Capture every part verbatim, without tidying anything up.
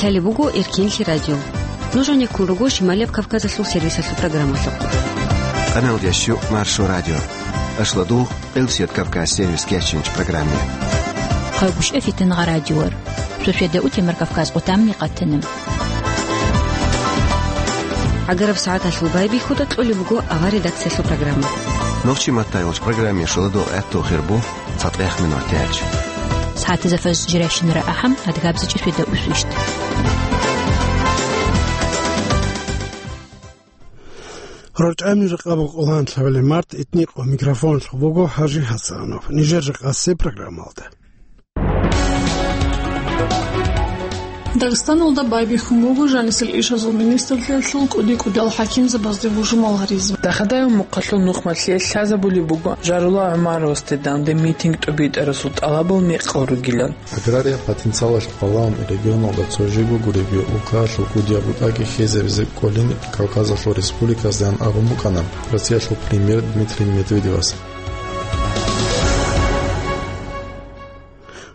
Лъалеб буго Эркенлъи радио. Нуж гьанеккун руго Шималияб Кавказалъул сервисалъул программалъухъ. Къаналдящу Маршо радио. Ашладугъ, Къилсият Кавказ сервис кечинч программе. Хъайгушъа фитангъа радиор. Сосведа утемар Кавказ къутамни къатана. ГӀагараб сагӀаталъул байбихьуда кьолеб буго авар редакциялъул программа. Нохчи маттайолч программе шуладугъ гӀатту хирбу. Цадгъех минутиялъ. СагӀатазда фаз жирайщинара ахӀам, адгабзачӀи светда усвищт. РорчӀами ракъаб къолгьанлъабали март итникъо микрофонлъ буго ХӀажи ХӀасанов. Нижер рекъасе программалда. Дагъистаналда байбихьун буго жанисел ишазул министрлъиялъул кӀуди-кӀудиял хӀакимзабазде бужумал гьаризе. Дахадаев Мухъалъул нухмалъе лъазабулеб буго Жарула ГӀумаровасде данде митинг тӀубитӀарасул тӀалабал мекъал ругилан. Агрария потенциалалъ къвалаун регионалда цо жего гуребги улкаялъул кӀудияб бутӀаги хьезабизе кӀолин Кавказалъул республиказдаан абун букӀана Россиялъул премьер Дмитрий Медведевас.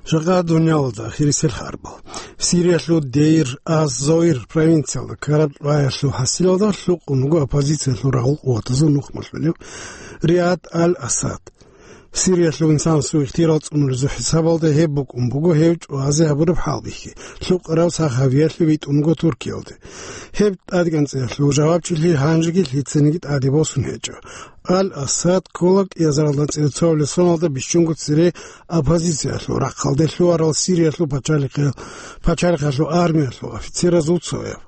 Жакъа дуниялалда хирисел харбал. Сириялъул Дейр аз-Зойр провинциялда ккараб лъугӀаялъул хӀасилалда лъукъун буго оппозициялъул рагъул къуватазул нухмалъулев Риад аль-Асад. Сириялъул инсанасул ихтияр цӀунулезул хӀисабалда гьеб букӀун буго гьев чӀвазе гьабураб хӀалбихьи, лъукъарав Сахавиялъе витӀун вуго Туркиялде. Гьеб тӀадегӀанцӀиялъул жавабчилъи гьанжеги лъицаниги тӀаде босун гьечӀо. Аль-Асад ккола кӀиазаралда анцӀила цоабилеб соналда бищунго цере оппозициялъул рахъалде лъугьарал Сириялъул пачалихъе-, пачалихъалъул армиялъул офицеразул цояб.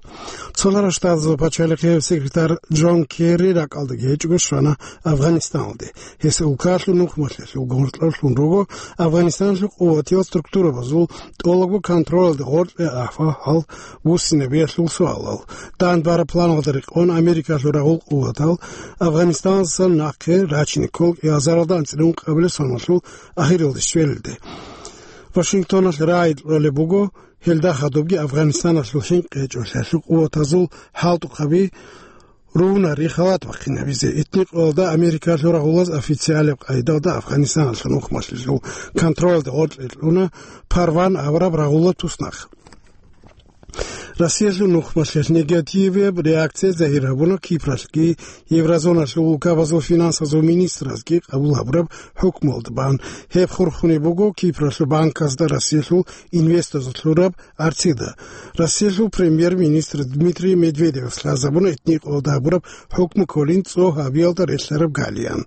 Цолъарал Штатазул пачалихъияб секретарь Джон Керри ракӀалдаги гьечӀого щвана Афганистаналде. Гьес улкаялъул нухмалъиялъул гъоркьалъун руго Афганистаналъул къуватиял структурабазул тӀолабго контролалде гъоркье ахӀа гьал вуссинабиялъул суалал. Дандбараб планалда рекъон Америкалъул рагъул къуватал Афганистаналдасан нахъе рачине ккола кӀиазаралда анцӀила ункъабилеб соналъул ахиралде щвелалде. Вашингтоналъ рагӀи кьолеб буго, гьелда хадубги Афганистаналъул хӀинкъи гьечӀолъиялъул къуватазул хӀалтӀухъаби рунарин халат бахъинабизе. Итникъоялда Америкалъул рагъулаз официалаб къайдалда Афганистаналъул нухмалъиялъул контролалде гъоркье кьуна Парван абураб рагъула туснахъ. Россиялъул нухмалъиялъ негативияб реакция загьир гьабуна Кипралъги, еврозоналъул улкабазул финансазул министразги къабул гьабураб хӀукмуялда бан. Гьеб хурхунеб буго Кипралъул банказда Россиялъул инвесторзул лъураб арцида. Россиялъул премьер-министр Дмитрий Медведевас лъазабуна итникъоялда гьабураб хӀукму кколин цо гьабиялда релълъараб галиян.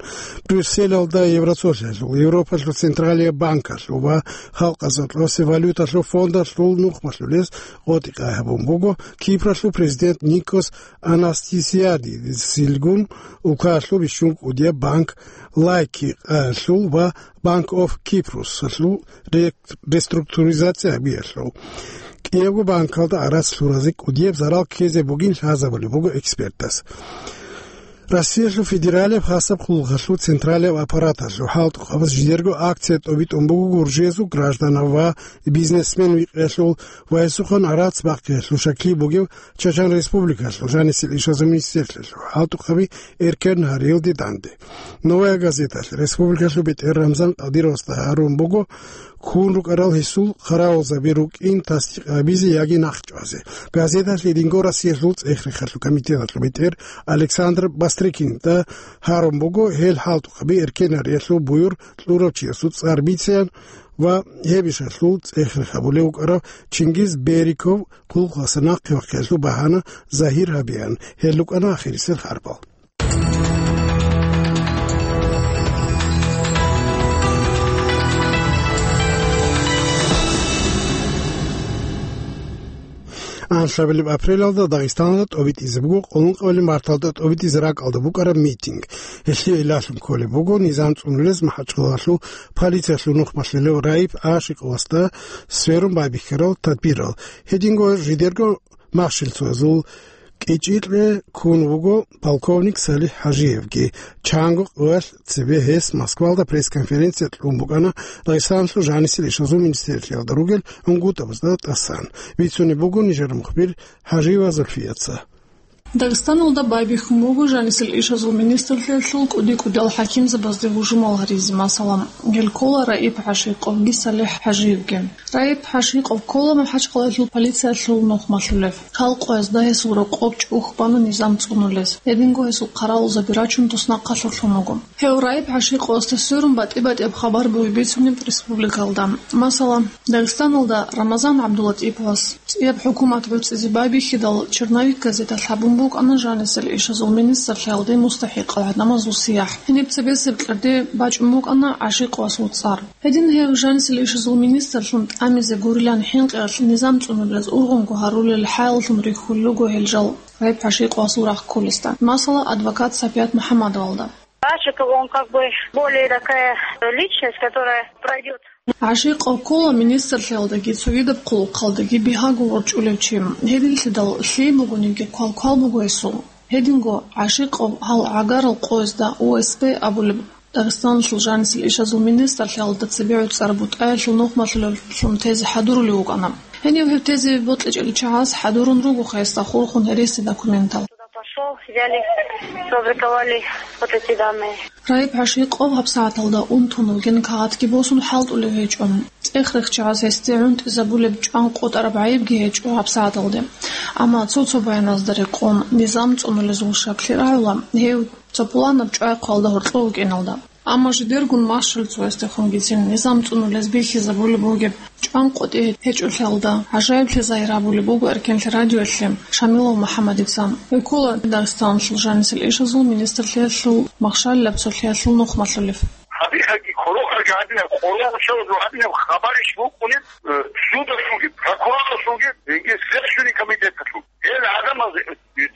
Брюсселалда Евросолъиялъул, Европалъул централияб банкалъул ва халкъазул кьосе валюталъул фондалъул нухмалъулез къотӀи-къай гьабун буго Кипралъул президент Никос Анастасиадисилгун, улкаялъул бищун кӀудияб банк Лайки къаялъул ва Bank of Кипрусалъул ре-, реструктуризация гьабиялъул. КӀиябго банкалда гӀарац лъуразе кӀудияб зарал ккезе бугин лъазабулеб буго экспертас. Россиялъул федералияб хасаб хъулухъалъул централияб аппараталъул хӀалтӀухъабаз жидерго акция тӀобитӀун буго гуржиязул гражданав ва бизнесмен викъиялъул ва гьесухъан гӀарац бахъиялъул шаклъи бугев Чачан Республикалъул жанисел ишазул министрлъиялъул хӀалтӀухъаби эркен гьариялде данде. Новая газеталъ республикалъул бетӀер Рамзан Къадировасда гьарун буго, ккун рукӀарал гьесул хъаравулзаби рукӀин тасдикъ гьабизе яги нахъчӀвазе. Газеталъ гьединго Россиялъул цӀех-рехалъул комитеталъул бетӀер Александр Бастрыкинда гьарун буго, гьел хӀалтӀухъаби эркен гьариялъул буюр кьурав чиясул цӀар бицеян ва гьеб ишалъул цӀех-рех гьабулев вукӀарав Чингиз Бериков хъулухъаса нахъе вахъиялъул багьана загьир гьабеян. Гьел рукӀана ахирисел харбал. Анлъабилеб апрелалда Дагъистаналда тӀобитӀизе буго къоло ункъабилеб марталда тӀобитӀизе ракӀалда букӀараб митинг. Гьелъие илалъун кколеб буго низам цӀунулез МахӀачкъалалъул полициялъул нухмалъулев Раиф Ашикъовасда сверун байбихьарал тадбирал. Гьединго жидерго махщелцоязул кӀичӀикье ккун вуго полковник СалихӀ ХӀажиевги. Чанго къоялъ цебе гьес Москвалда пресс-конференция кьун букӀана Дагъистаналъул жанисел ишазул министрлъиялда ругел унгутӀабазда тӀасан. Бицунеб буго нижер мухбир ХӀажиева Зульфияца. Дагъистаналда байбихьун буго жанисел ишазул министрлъиялъул кӀуди-кӀудиял хӀакимзабазде гьужумал гьаризе, масала, гьел ккола Раиб ГӀашикъовги СалихӀ ХӀажиевги. Раиб ГӀашикъов ккола МахӀачхъалаялъул полициялъул нухмалъулев. Халкъ гьезда гьесул рокъоб чӀухь бана низам цӀунулез. Гьединго гьесул хъаравулзаби рачун туснахъалъур лъун вуго. Гьев Раиб ГӀашикъовасда сверун батӀи-батӀияб хабар бугеб бицунеб республикалда. Масала, Дагъистаналда Рамазан ГӀабдулатӀиповас цӀияб хӀукумат гӀуцӀизе байбихьидал, «Черновик» газеталъ гьабун букӀана жанисел ишазул министрлъиялде мустахӀикъал гӀадамазул сияхӀ. Гьениб цебесеб кьерде бачӀун букӀана ГӀашикъовасул цӀар. Гьедин гьев жанисел ишазул министрлъун тӀамизе гурилан хӀинкъиялъ низам цӀунулез ургъунго гьарулел хӀалалъун рихьулел руго гьел жал Раиб ГӀашикъовасул рахъ кколесда, масала, адвокат Сапият МухӀаммадовалда. Ачиков, он как бы более такая личность, которая пройдёт. ГӀашикъов ккола министрлъиялдаги цогидаб хъулухъалдаги бигьаго ворчӀулев чи. Гьединлъидал лъие бугониги квалквал буго гьесул. Гьединго ГӀашикъов гьал гӀагарал къоязда О С П абулеб Дагъистаналъул жанисел ишазул министрлъиялда цебе гӀуцӀар бутӀаялъул нухмалъулевлъун тезе хӀадурулев вукӀана. Гьенив гьев тезе бокьичӀел чагӀаз хӀадурун руго гьесда хурхун гьереси документал. Туда пошёл, взяли, сфабриковали вот эти данные. Раиб ГӀашикъов гьабсагӀаталда унтун вугин кагъатги босун хӀалтӀулев гьечӀо. ЦӀех-рех чагӀаз гьесде гӀунтӀизабулеб чӀван къотӀараб гӀайибги гьечӀо гьабсагӀаталде. Амма цо-цо баяназда рекъон, низам цӀунулезул щаклъи рагӀула гьев цо пуланаб чӀвай хъвалда гьоркьов вукӀиналда. Амма жидергун машгьур цоясдехунгицин низам цӀунулез бихьизабулеб бугеб чӀван къотӀи гьечӀолъиялда гӀажаиблъи загьир гьабулеб буго Эркенлъи радиоялъе Шамилов МухӀаммадица. Гьев ккола Дагъистаналъул жанисел ишазул министрлъиялъул махщалилаб цолъиялъул нухмалъулев. Гьабихьаги, кколохъаги гьадинаб, кколо гьучалазул гьадинаб хабарищ букӀунеб, э, судалъулги, прокурорлъулги, яги Следственный комитеталъул. Гьел гӀадамаз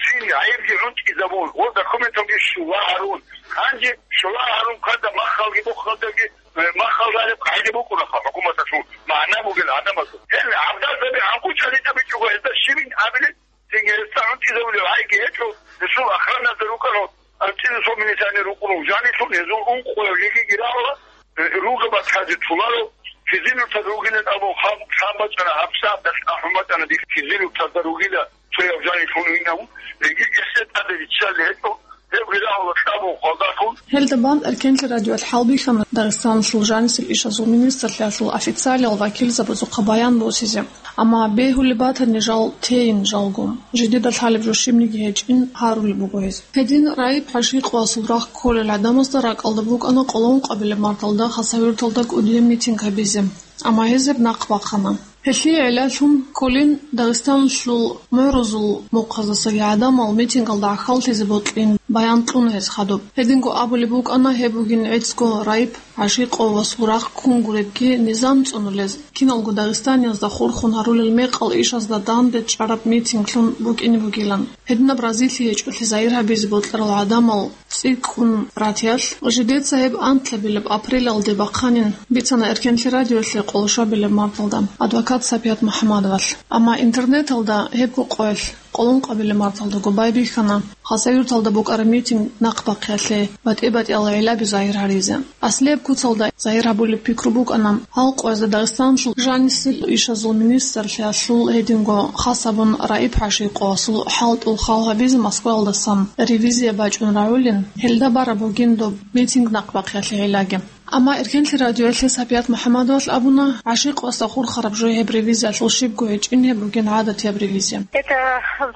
цин гӀайибги гӀунтӀизабун ва документалги щула гьарун. Гьанже щула гьарун кканда махалги бухалдаги, э, махал гьариб къагӀида букӀунаха хӀукуматалъул магӀна бугел гӀадамазул. Гьел гӀабдалзаби гӀанкъучӀали тӀабичӀого гьезда щибин абили, цинги гьезда гӀунтӀизабулев гӀайги гьечӀо, гьесул охраназда рукӀана, анцӀила цо милиционер рукӀуна жанилъун, гьезул ункъояв жеги гирагьула, э, ругаб батазе туларо, физилуртаз ругилан абун хам-, хам бачӀана, гьабсагӀаталъ ахӀун бачӀана дихъ физилуртазда ругила. Цояв жанив лъун винав, гьебги гьесда тӀаде риччалел гьечӀо, гьебги рагьула кьабун хвалдалъун. Гьелда бан Эркенлъи радиоялъ хӀалбихьана Дагъистаналъул жанисел ишазул министрлъиялъул официалиял вакилзабазухъа баян босизе. Амма бегьулеб батани жал тейин жалго. Жидеда лъалеб жо щибниги гьечӀин гьарулеб буго гьез. Гьедин Раиб ГӀашикъовасул рахъ кколел гӀадамазда ракӀалда букӀана Къоло-Ункъабилеб марталда Хасавюрталда кӀудияб митинг гьабизе. Амма гьез гьеб нахъ бахъана. Гьелъие гӀиллалъун кколин Дагъистаналъул мугӀрузул мухъаздасаги гӀадамал митингалда гӀахьаллъизе бокьин баян кьуна гьез хадуб. Гьединго абулеб букӀана гьеб бугин гӀицӀго Раиб ГӀашикъовасул рахъ ккун гуребги низам цӀунулез, киналго дагъистаниязда хурхун гьарулел мекъал ишазда данде чӀараб митинглъун букӀине бугилан. Гьединаб разилъи гьечӀолъи загьир гьабизе бокьарал гӀадамал цӀикӀкӀун ратиялъ, жидеца гьеб анлъабилеб апрелалде бахъанин бицана Эркенлъи радиоялъе къоло щвабилеб марталда адвокат Сапият МухӀаммадовалъ. Амма интернеталда гьебго къоялъ къоло ункъабилеб марталдаго байбихьана Хасавюрталда букӀараб митинг нахъ бахъиялъе батӀи-батӀиял гӀилаби загьир гьаризе. Аслияб куцалда загьир гьабулеб пикру букӀана гьал къоязда Дагъистаналъул жанисел ишазул министрлъиялъул гьединго хас абун Раиб ГӀашикъовасул хӀалтӀул хал гьабизе Москваялдасан ревизия бачӀун рагӀулин, гьелда бараб бугин доб митинг нахъ бахъиялъе гӀиллаги. Амма Эркенлъи радиоялъе Сапият МухӀаммадовалъ абуна, ГӀашикъовасда хурхараб жо гьеб ревизиялъул щибго гьечӀин, гьеб бугин гӀадатияб ревизия. Это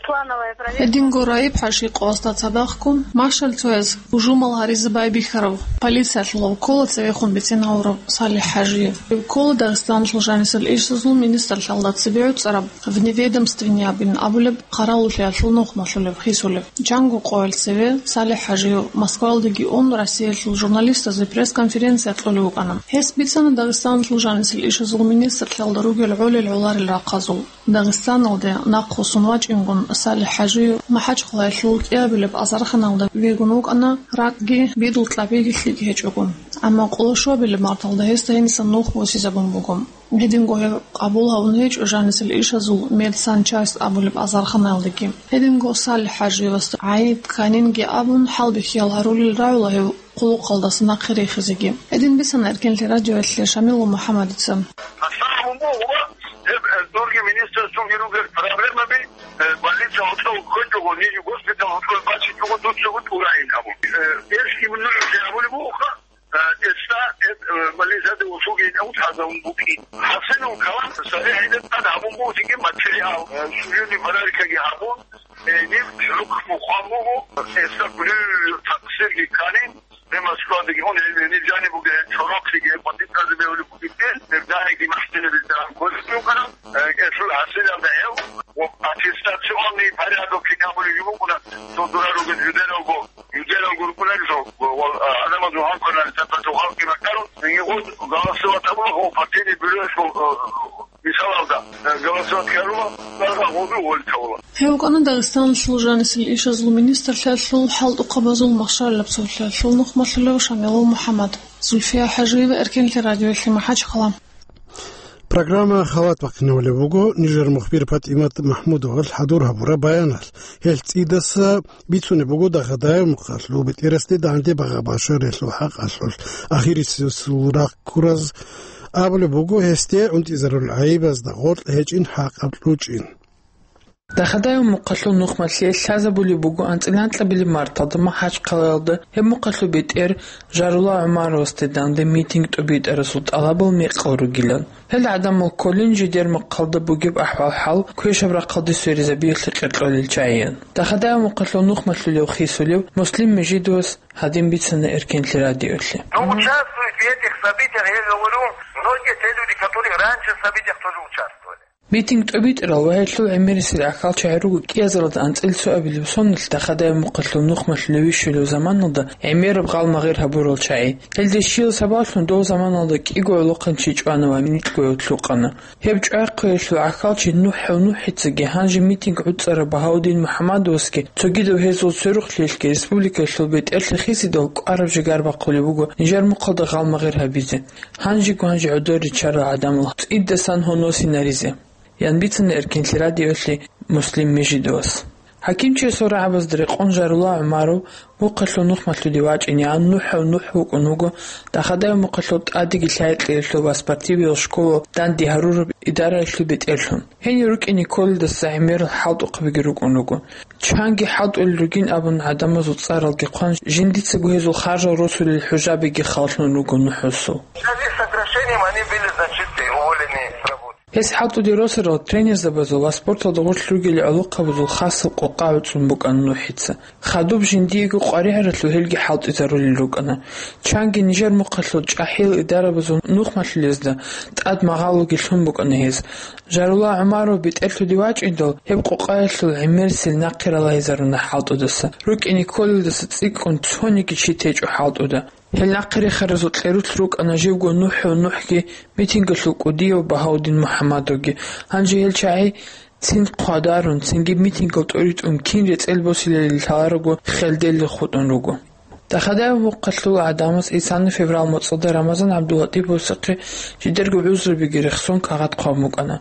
плановая проверка. Гьединго Раиб ГӀашикъовасда цадахъго машгьал цояз гьужумал гьаризе байбихьарав, полициялъул гьав ккола цевехун бицин гьавурав СалихӀ ХӀажиев. Гьев ккола Дагъистаналъул жанисел ишазул министрлъиялда цебе гӀуцӀараб, вневедомственный абин абулеб, хъаравуллъиялъул нухмалъулев, хисулев. Чанго къоял цеве СалихӀ ХӀажиев Москваялдеги ун, Россиялъул журналистазе пресс-конференция кьолев вукӀана. Гьес бицана Дагъистаналъул жанисел ишазул министрлъиялда ругел гӀолел-гӀоларел рахъазул. Дагъистаналде нахъвуссун вачӀингун, СалихӀ ХӀажиев МахӀачхъалаялъул кӀиабилеб азарханалда вегун вукӀана, ракӀги, бидул кьабиги лъикӀ гьечӀого. Амма къоло щвабилеб марталда гьесда гьенисан нух босизабун буго. Гьединго гьев къабул гьавун гьечӀо жанисел ишазул медсанчасть абулеб азарханаялдеги. Гьединго СалихӀ ХӀажиевасда гӀайиб кканинги абун, хӀалбихьиял гьарулел рагӀула гьев хъулухъалдаса нахъе рехизеги. Гьедин бицана Эркенлъи радиоялъе Шамилов МухӀаммадица. Проблемаби Э, больница гьоркьов ккечӀого, ниж госпитал гьоркьов бачичӀого, дуцаго тӀурайин абун. Э, эс именно абулеб бугоха, э, эсда, э, больницада усуги гьаву тазавун букӀин. ХӀасилул калам, цоги гьедин тӀад гьабун бугониги материал, э, судебный порядкаги гьабун, э, ниб хӀукму хъван буго, эсда гурилла такъсирги кканин, Гьеб Москвадаги ун, гьел гьениб жаниб бугеб, гьел чорохъеги, гьел къватӀиб кази бегьулеб бугеб, гьеб дагьиги махсилаб бетӀеран кколеб букӀана, э, гьелъул хӀасилалда гьев ва аттестационный порядок кинабулеб букӀана, цо дора ругел жидералго, жидералго рукӀунарисо, ва, ва, а, адамазул гьанкъанали тапату халкъи бакӀарун, гьениб гъоз голосовать абула, гъо партийный бюроялъул, э, Мисалалда, э, голосовать ккарулел, даргъа гъозу гъолитавула. Гьев вукӀана Дагъистаналъул жанисел ишазул министрлъиялъул хӀалтӀухъабазул махщалилаб цолъиялъул нухмалъулев Шамилул МухӀаммад. Зульфия ХӀажиева, Эркенлъи радиоялъе, МахӀачхъала. Программа халат бахъинавулеб буго, нижер мухбир ПатӀимат МахӀмудовал хӀадур гьабураб баяналъ. Гьел цӀидаса бицунеб буго Дагъадаев мухъалъул бетӀерасде данде багъа-башаралъул хӀакъалъулъ ахирисесул рахъ ккураз. Абулеб буго, гьесде унтӀизарул гӀайибазда гъоркь гьечӀин, хӀакъаб кьучӀин. Дагъадаев мухъалъул нухмалъе лъазабулеб буго анцӀила анкьабилеб марталда МахӀачхъалаялда гьеб мухъалъул бетӀер Жарула ГӀумаровасде данде митинг тӀубитӀарасул тӀалабал мекъал ругилан. Гьел гӀадамал кколин жидер мухъалда бугеб ахӀвал-хӀал квешаб рахъалде сверизабиялъе къеркьолел чагӀиян. Дагъадаев мухъалъул нухмалъулев хисулев Муслим Межидовас гьадин бицана Эркенлъи радиоялъе. Но участвуют в этих событиях, я говорю, многие те люди, которые раньше в событиях тоже участвовали. Митинг тӀубитӀарал ва гьелъул гӀемерисел гӀахьалчагӀи руго кӀиазаралда анцӀила цоабилеб соналъ Дагъадаев мухъалъул нухмалъулев вищулев заманалда гӀемераб гъалмагъир гьабурал чагӀи. Гьелде щиял сабаблъун дов заманалда кӀиго гӀолохъанчи чӀвана ва микьго гьев лъукъана. Гьеб чӀвахъиялъул гӀахьалчи НухӀев НухӀицаги гьанже митинг гӀуцӀарав Багьаудин МухӀаммадовасги цогидав гьезул сверухълъиялъги республикаялъул бетӀерлъи хисидал кӀвараб жигар бахъулеб буго нижер мухъалда гъалмагъир гьабизе. Гьанжего гьанже гӀодор риччарал гӀадамал цӀидасан гьуносинаризе, ян бицана Эркенлъи радиоялъе Муслим Межидовас. ХӀакимчиясул рагӀабазда рекъон Жарула ГӀумаров мухъалъул нухмалъулев вачӀинегӀан НухӀев НухӀ вукӀун вуго Дагъадаев мухъалъул тӀадеги лъай-кьеялъул ва спортивиял школал данде гьарураб идараялъул бетӀерлъун. Гьенив рукӀине кколелдаса гӀемерал хӀалтӀухъабиги рукӀун руго. Чанги хӀалтӀулел ругин абун гӀадамазул цӀаралги хъван, жиндицаго гьезул харжал росулел хӀужабиги халлъун руго НухӀусул. В связи с сокращением они были, значит, уволены с работы. Гьес хӀалтӀуде росарал тренерзабазул ва спорталда гъорлъ ругел гӀолохъабазул хасаб къокъа гӀуцӀун букӀана НухӀица. Хадуб жиндиего къваригӀаралъув гьелги хӀалтӀизарулел рукӀана. Чанги нижер мухъалъул чӀахӀиял идарабазул нухмалъулезда тӀад магъалуги лъун букӀана гьес. Жарула ГӀумаров бетӀерлъуде вачӀиндал, гьеб къокъаялъул гӀемерисел нахъе ралагьизаруна хӀалтӀудаса. РукӀине кколелдаса цӀикӀкӀун цониги чи течӀо хӀалтӀуда. Гьел нахъе рехаразул кьерулъ рукӀана живго НухӀев НухӀги митингалъул кӀудияв Багьаудин МухӀаммадовги. Гьанже гьел чагӀи цин хъвадарун, цинги митингал тӀоритӀун кин рецӀел босилелил лъаларого хелделел хутӀун руго. Дагъадаев мухъалъул гӀадамаз исана феврал моцӀалда Рамазан ГӀабдуллатӀиповасухъе жидерго гӀузрубиги рехсон кагъат хъван букӀана.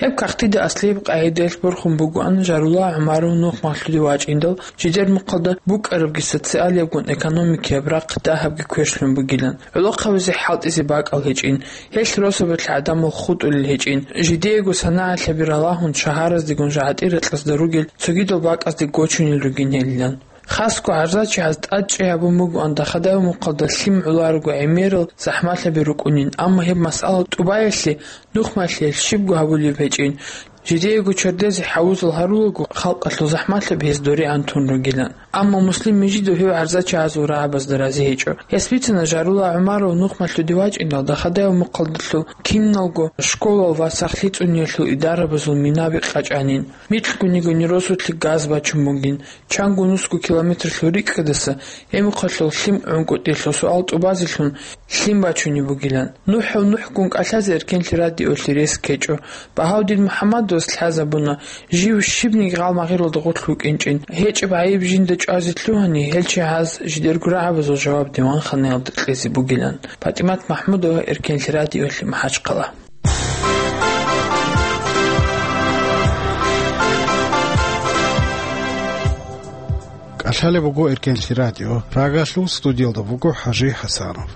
Гьеб кагътида аслияб къагӀидаялъ борхун бугоан Жарула ГӀумаров нухмалъулев вачӀиндал, жидер мухъалда букӀарабги социалиябгун экономикияб рахъ дагьабги квешлъун бугилан, гӀолохъабазе хӀалтӀизе бакӀал гьечӀин, гьелъ росабалъ гӀадамал хутӀулел гьечӀин, жидеего санагӀалъаби ралагьун шагьараздегун жагӀатӀи рекьазда ругел цогидал бакӀазде гочунел ругин гьелилан. Хасго гӀарзачагӀаз тӀадчӀей гьабун бугоан Дагъадаев мухъалда лъим гӀоларого гӀемерал захӀмалъаби рукӀунин, амма гьеб масъала тӀубаялъе нухмалъиялъ щибго гьабулеб гьечӀин. Жидеего чердезе хӀавузал гьарулаго халкъалъул захӀмалъаби гьез доригӀан тун ругилан. Амма Муслим Межидов гьев гӀарзачагӀазул рагӀабазда рази гьечӀо. Гьес бицана Жарула ГӀумаров нухмалъулев вачӀиндал Дагъадаев мухъалдалъул киналго школал ва сахлъи цӀуниялъул идарабазул минаби къачӀанин. Микьгуни-гуни росулъе газ бачун бугин. Чанго нусго километрлъул рикӀкӀадаса гьеб мухъалъул лъим гӀункӀутӀилъул суал тӀубазелъун лъим бачунеб бугилан. НухӀев НухӀгун кӀалъазе Эркенлъи радиоялъе рес ккечӀо. Багьаудин МухӀаммадовас лъазабуна, жив щибниги гъалмагъиралда гъорлъ вукӀинчӀин. ГьечӀеб гӀайиб жинда чӀвазе лъугьани, гьел чагӀаз жидерго рагӀабазул жаваб диванханаялда кьезе бугилан. ПатӀимат МахӀмудова, Эркенлъи радиоялъе, МахӀачхъала. КӀалъалеб буго Эркенлъи радио. Прагалъул студиялда буго ХӀажи ХӀасанов.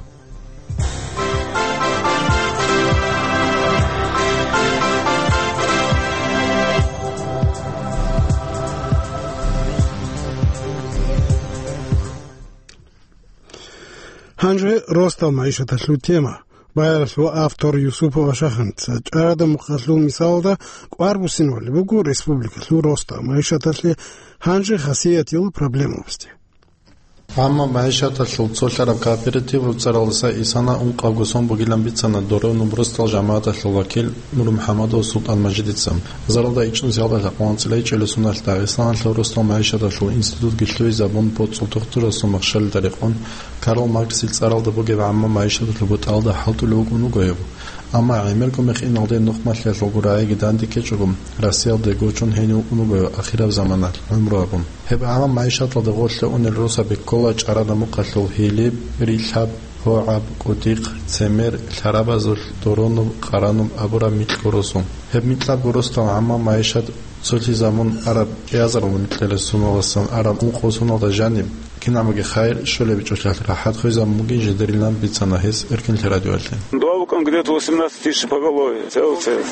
Гьанже росдал магӀишаталъул тема. Баялъул автор Юсупов Ашаханица чӀарада мукъалъул мисалда кӀвар буссинавали буго республикалъул росдал магӀишаталъе гьанже хасиятил проблемабазде. Амма магӀишаталъул цолъараб кооператив цӀаралдаса исана ункъабго сон бугилан бицана Доронуб росдал жамагӀаталъул вакил НурмухӀамадов СултӀан-Мажидица. Заралда ичӀнусиялда лъакъ анцӀила ичӀелесуналъ Дагъистаналъул росдал магӀишаталъул институтги лъугьизабун, боцӀул тухтурасул махщалида рекъон, Карл Марксил цӀаралда бугеб гӀамма магӀишаталъул бутӀалда хӀалтӀулев вукӀун вуго гьев. Амма гӀемерго мехиналде нухмалъиялъулго рагӀиги данде ккечӀого, Россиялде гочун гьенив вукӀун вуго гьев ахираб заманалъ гӀумру гьабун. Гьеб гӀамма магӀишаталда гъорлъе унел росаби ккола чӀарада мукъалъул Гьилиб, Рилълъаб, ГьогӀаб, КӀутӀихъ, Цемер, Лъарабазулъ, Доронуб, Къарануб абураб микьго росу. Гьеб микьабго росдал гӀамма магӀишат цолъизабун араб кӀиазарал микьилесуналасан араб ункъо соналда жаниб, кинабги хайир щолеб чӀолъалъ рахӀат хвезабун бугин жидерилан бицана гьес Эркинлъи радиоялъе. Два вукӀун где-то восемнадцать тысяч поголовье, целый, целый.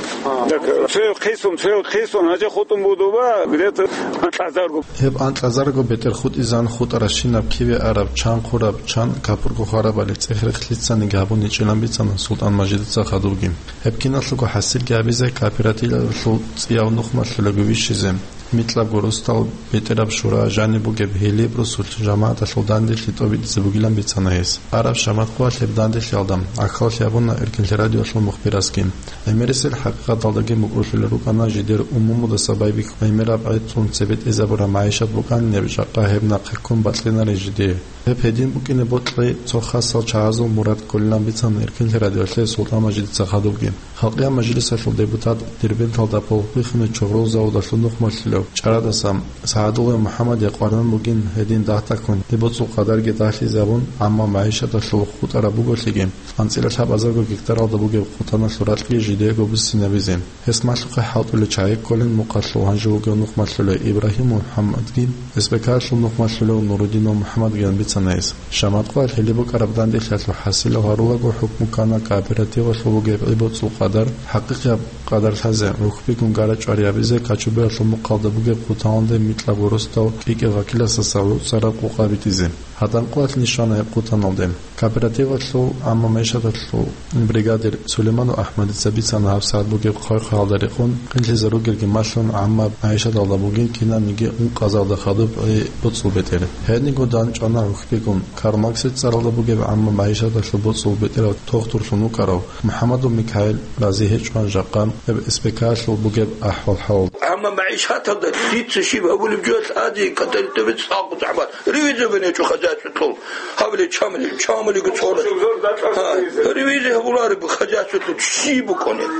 Так, цояв хъисун, цояв хъисун, гьанже хутӀун будуба, где-то анкьазарго. Гьеб анкьазарго бетӀер хутӀизан хутӀаращинаб киве араб, чан хъураб, чан капурго хварабали цӀех-рехлъицаниги гьабун гьечӀилан бицана СултӀан-Мажидица хадубги. Гьеб киналъулго хӀасилги гьабизе кооперативалъул цӀияв нухмалъулаго вищизе, микьабго росдал бетӀераб шура жаниб бугеб Гьилиб росулъ жамагӀаталъул данделъи тӀобитӀизе бугилан бицана гьес. Араб шамат къоялъ гьеб данделъиялда гӀахьаллъи гьабуна Эркинлъи радиоялъул мухбирасги. ГӀемерисел хӀакъикъаталдаги мукӀурлъулел рукӀана жидер умумудаса байбихьун гӀемераб гӀецӀун цебе тӀезабураб магӀишат букӀанин гьеб жакъа гьеб нахъе ккун бакьинаре жидее. Гьеб гьедин букӀине бокьи цо хасал чагӀазул мурад кколилан бицана Эркинлъи радиоялъе СултӀан-Мажидица хадубги. Халкъиял мажлисалъул депутат, Дербенталда полбихьунеб чогърол заводалъул нухмалъулев чӀарадаса СагӀадуллаев МухӀаммадие къваригӀун бугин гьедин дагь-дагьккун гьеб боцӀул къадарги дагьлъизабун, амма магӀишаталъул хутӀараб буголъиги, анцӀила лъабазарго гектаралда бугеб хъутаналъул ракьги жидеего буссинабизе. Гьес малъухъе хӀалтӀулел чагӀи кколин мукъалъул гьанже вугев нухмалъулев Ибрагьим МухӀаммадги, СБК-лъул нухмалъулев Нурудинов МухӀаммадгиян бицана гьес. Шаматкъоялъ гьеле букӀараб данделъиялъул хӀасилав гьарулаго хӀукму ккана кооперативалъул бугеб гӀи боцӀул къадар, хӀакъикъияб къадар лъазе, рухьбигун гара-чӀвари гьабизе, Качубиялъул мухъалда бугеб хъутаналде микьабго росдал кӀикӀел вакиласаса гӀуцӀараб къукъа битӀизе. Гьадан къоялъ нишана гьеб хъутаналде. Кооперативалъул гӀамма магӀишаталъул бригадир Сулейманов АхӀмадица бицана гьабсагӀат бугеб хъвай-хъвагьалда рекъон, къинлъизар ругелги малъун, гӀамма магӀишаталда бугин кинабниги ункъазарда хадуб гӀи боцӀул бетӀер. Гьединго дандчӀвана рухьбигун, Карл Марксил цӀаралда бугеб гӀамма магӀишаталъул боцӀул бетӀерав тохтурлъун вукӀарав МухӀаммадов Микаил рази гьечӀо жакъа гьеб СБК-лъул бугеб ахӀвал-хӀал. ГӀамма магӀишаталда дица щиб гьабулеб жо лъади, каталитовец цӀакъ загӀмат. Ревизия гьечӀо хозяйстволъул. Гьабили чамали, чамалиго цӀора. Гьа, ревизия гьабулареб хозяйстволъул щиб букӀунеб?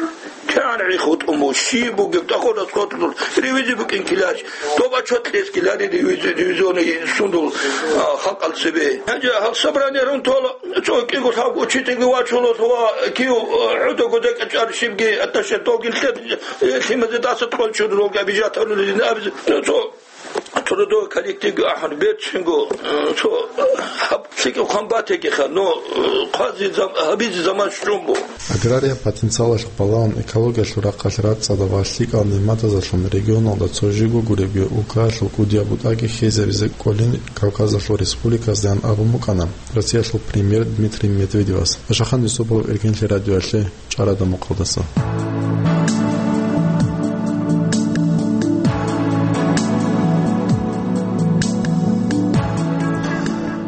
КигӀан гӀи хутӀун буго, щиб бугеб, тӀахо расходлъул ревизия букӀин килач. Доба чотлъес килари ревизия, ревизионный сундул, а, халкъал цебе. Гьанже гьал собрание рун тола, цо кӀиго лъабго учительги вачула, ва кив, а, гӀудаго декӀачӀар щибги аташе тогил лъе, э, лъимазе даса тӀолчур рога бижатарулин абизе. Цо Трудовой коллективги ахӀун берцинго, э, цо, э, гьаб лъикӀаб хъван батегиха, но, э, хъвази зам-, гьабизи заман щун буго. Аграриял потенциалалъухъ балагьун экологиялъул рахъалъ рацӀцӀадаб ва лъикӀал нигӀматазалъун регионалда цо жибго гуребги улкаялъул кӀудияб бутӀаги хьезабизе кӀолин Кавказалъул республиказдаан абун букӀана Россиялъул премьер Дмитрий Медведевас. Ашахан Юсупов, Эркинлъи радиоялъе, ЧӀарада мукъалдаса.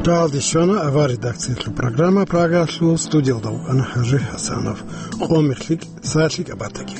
Рагьалде щвана авар редакциялъул программа, Прагалъул студиялда вукӀана ХӀажи ХӀасанов. Къо мехлъи, сагӀатлъи кӀабатаги.